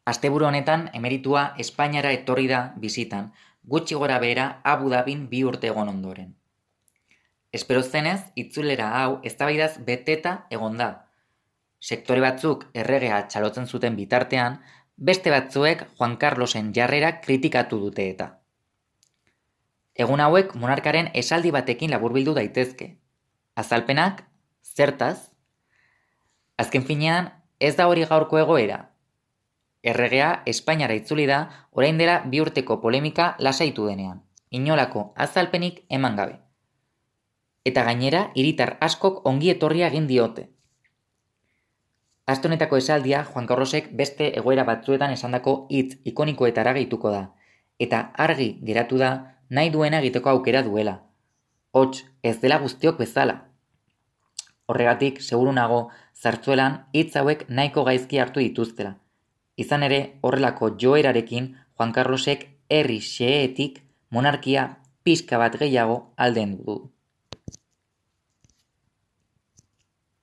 Asteburu honetan emeritua Espainiara etorri da bisitan, gutxi gora behera Abu Dhabin 2 urte egon ondoren. Espero zenez, itzulera hau eztabaidaz beteta egon da. Sektore batzuk erregea txalotzen zuten bitartean, beste batzuek Juan Carlosen jarrera kritikatu dute eta. Egun hauek monarkaren esaldi batekin laburbildu daitezke. Azalpenak, zertaz? Azken finean, ez da hori gaurko egoera. Erregea Espainiara itzuli da orain dela 2 urteko polemika lasaitu denean, inolako azalpenik eman gabe. Eta gainera, hiritar askok ongi etorria egin diote. Aste honetako esaldia Juan Carlosek beste egoera batzuetan esandako hitz ikonikoetara gehituko da, eta argi geratu da nahi duena egiteko aukera duela. Hots, ez dela guztiok bezala. Horregatik, seguru nago, Zartzuelan hitz hauek nahiko gaizki hartu dituztela. Izan ere, horrelako joerarekin Juan Carlosek herri xeheetik monarkia pixka bat gehiago aldendu du.